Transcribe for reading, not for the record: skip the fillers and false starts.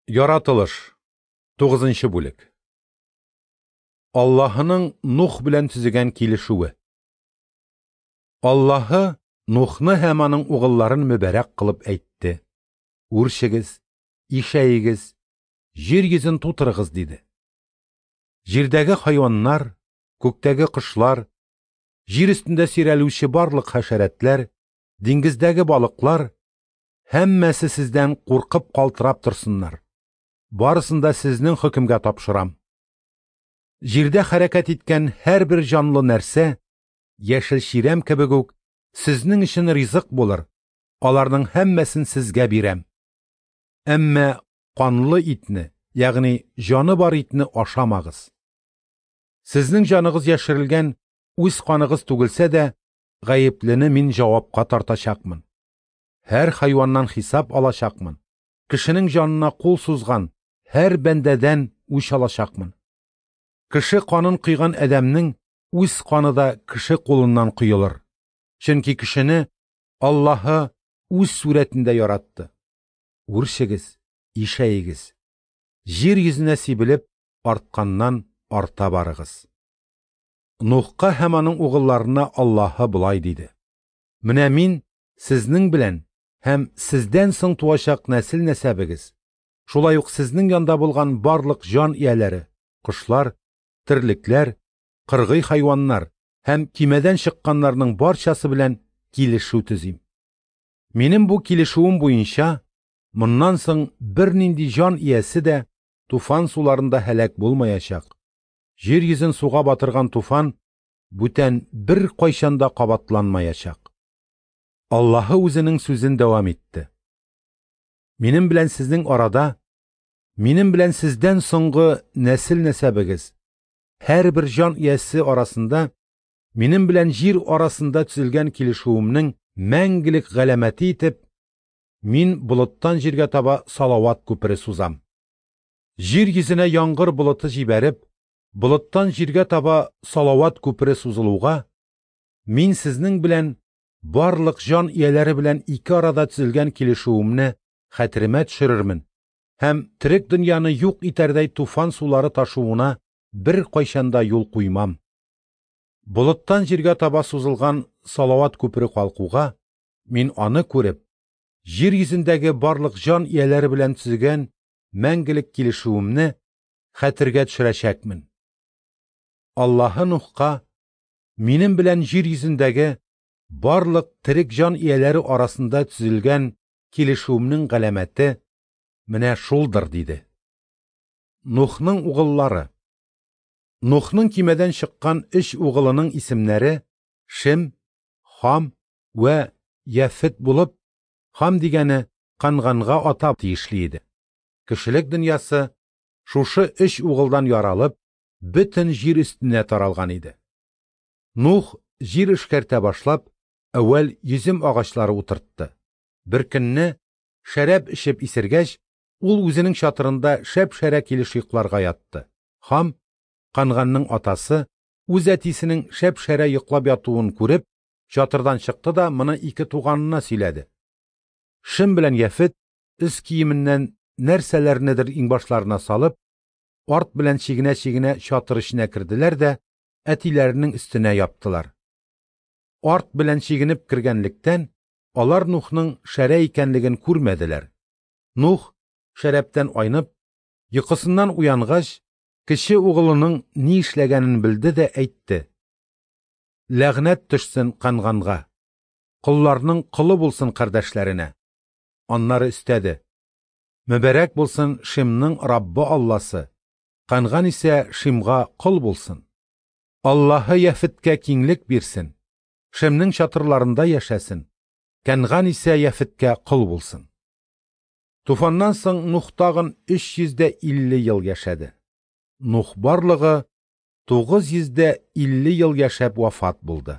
Яратылыш. 9 бүлек. Аллаһының Нух белән төзегән килешүе. Аллаһы Нухны һәм аның угылларын мөбарәк кылып әйтте: Үрчегез, ишәегез, җир йөзен тутырыгыз, диде. Җирдәге хайваннар, күктәге кошлар, җир өстендә сөйрәлүче барлык хәшәрәтләр, диңгездәге балыклар һәммәсе сездән куркып калтырап торсыннар. Барысын да сезнең хөкемгә тапшырам. Җирдә хәрәкәт иткән һәрбер җанлы нәрсә, яшел чирәм кебек үк, сезнең өчен ризык булыр, аларның һәммәсен сезгә бирәм. Әмма канлы итне, ягъни җаны бар итне ашамагыз. Сезнең җаныгыз яшерелгән үз каныгыз түгелсә дә, гаеплене мин җавапка тартачакмын. Һәр хайваннан хисап алачакмын. Кешенең җанына кул сузган һәр бәндәдән үч алачакмын. Кеше канын койган адәмнең үз каны да кеше кулыннан коелыр. Чөнки кешене Аллаһы үз сурәтендә яратты. Үрчегез, ишәегез. Җир йөзенә сибелеп, артканнан арта барыгыз. Нухка һәм аның угылларына Аллаһы болай диде: Менә мин сезнең белән һәм сездән соң туачак нәсел нәсәбегез, шулай ук сезнең янда булган барлык җан ияләре, кошлар, терлекләр, кыргый хайваннар һәм кимәдән чыкканнарның барчасы белән килешү төзим. Минем бу килешүем буенча, моннан соң бернинди җан иясе дә туфан суларында һәлак булмаячак. Җир йөзен суга батырган туфан бүтән бер кайчан да кабатланмаячак. Аллаһы үзенең сүзен дәвам итте. Минем белән сезнең арада, минем белән сездән соңгы нәсел нәсәбегез, һәрбер җан иясе арасында, минем белән җир арасында төзелгән килешүемнең мәңгелек галәмәте итеп, мин болыттан җиргә таба салават күпере сузам. Җир йөзенә яңгыр болыты җибәреп, болыттан җиргә таба салават күпере сузылуга, мин сезнең белән барлык җан ияләре белән ике арада төзелгән килешүемне хәтеремә төшерермен һәм терек дөньяны юк итәрдәй туфан сулары ташуына бер кайчан да юл куймам. Болыттан җиргә таба сузылган салават күпере калкуга, мин аны күреп, җир йөзендәге барлык җан ияләре белән төзегән мәңгелек килешүемне хәтергә төшерәчәкмен. Аллаһы Нухка минем белән җир йөзендәге барлык терек җан ияләре арасында төзелгән килешүемнең галәмәте менә шулдыр, диде. Нухның угыллары. Нухның кимәдән чыккан өч угылының исемнәре Шем, Хам вә Яфет булып, Хам дигәне Канганга ата тиешле иде. Кешелек дөньясы шушы өч угылдан яралып, бөтен җир өстенә таралган иде. Нух җир эшкәртә башлап, әүвәл йөзем агачлары утыртты. Бер көнне шәраб эчеп исергәч, ул үзенең чатырында шәп-шәрә килеш йокларга ятты. Хам, Канганның атасы, үз әтисенең шәп-шәрә йоклап ятуын күреп, чатырдан чыкты да моны ике туганына сөйләде. Шем белән Яфет өс киеменнән нәрсәләрнедер иңбашларына салып, арт белән чигенә-чигенә чатыр эченә керделәр дә әтиләренең өстенә яптылар. Арт белән чигенеп кергәнлектән, алар Нухның шәрә икәнлеген күрмәделәр. Нух шәрәптән айнып, йокысыннан уянгач, кече угылының ни эшләгәнен белде дә әйтте: Ләгънәт төшсен Канганга, колларның колы булсын кардәшләренә. Аннары өстәде: Мөбарәк булсын Шимның Раббы Алласы, Канган исә Шимга кол булсын. Аллаһы Яфеткә киңлек бирсен, Шемнең чатырларында яшәсен, Кәнган исә Яфеткә кол булсын. Туфаннан соң Нух тагын 350 ел яшәде. Нух барлыгы 950 ел яшәп вафат булды.